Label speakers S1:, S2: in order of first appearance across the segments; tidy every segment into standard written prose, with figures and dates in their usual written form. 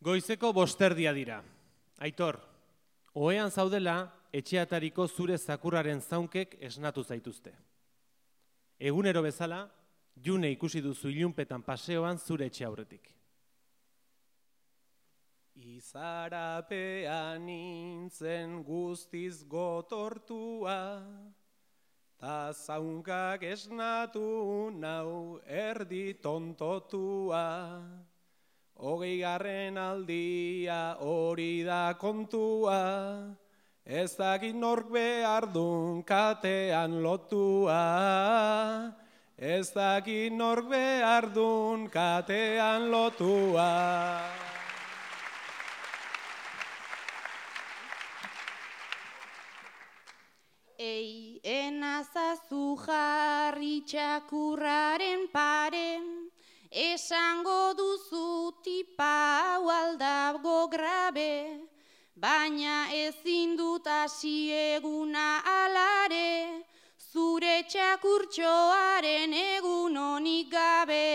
S1: Goizeko 5:30 dira. Aitor, ohean zaudela etxeatariko zure zakurraren zaunkek esnatu zaituzte. Egunero bezala, June ikusi duzu ilunpetan paseoan zure etxe aurretik.
S2: Izarapean nintzen guztiz gotortua, ta zaunkak esnatu nau erdi tontotua. 20. aldia hori da kontua, ez dakit nork behar dun katean lotua. Ez dakit nork behar dun katean lotua.
S3: Ei, enazazu jarri txakurraren pare, esango duzu tipa hau aldago grabe, baina ezin dut hasi eguna alare, zure txakurtxoaren egun honik gabe.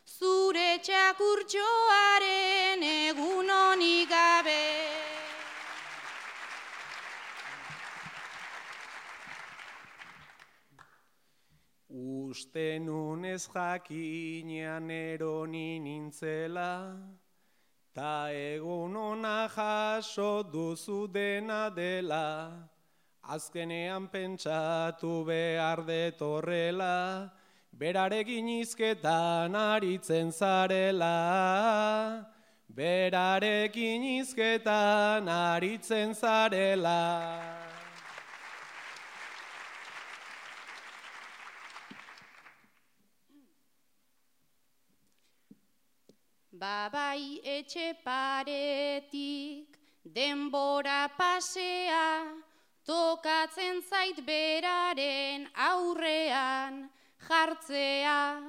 S3: Zure txakurtxoaren egun honik gabe.
S2: Uste nun ez jakinean eroni nintzela, ta egun ona jaso duzu dena dela. Azkenean pentsatu behar detorrela, berarekin hizketan aritzen zarela. Berarekin hizketan aritzen zarela.
S3: Babai etxe paretik denbora pasea, tokatzen zait beraren aurrean jartzea,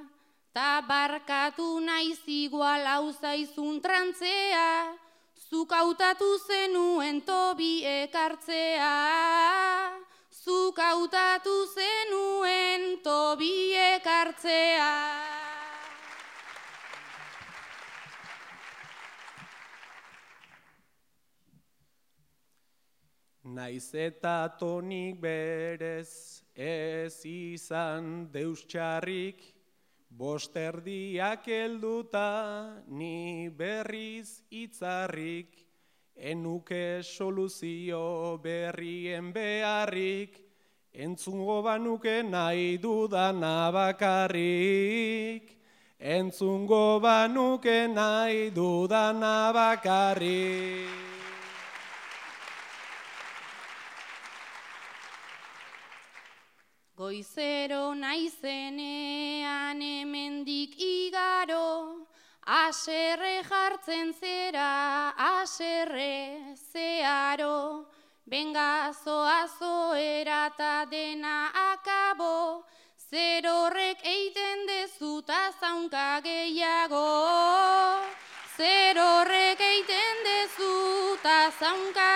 S3: ta barkatu naiz igual hau zaizun trantzea, zuk hautatu zenuen Tobi ekartzea. Zuk hautatu zenuen Tobi ekartzea.
S2: Naiz eta tonik berez ez izan deus txarrik, 5:30 helduta ni berriz itzarrik, enuke soluzio berrien beharrik, entzungo banuke nahi dudana bakarrik. Entzungo banuke nahi dudana bakarrik.
S3: Goizero naizenean hemendik igaro, haserre jartzen zera, haserre zeharo. Benga zoazoera ta dena akabo, zer horrek eiten dezuta zaunka gehiago. Zer horrek eiten dezuta zaunka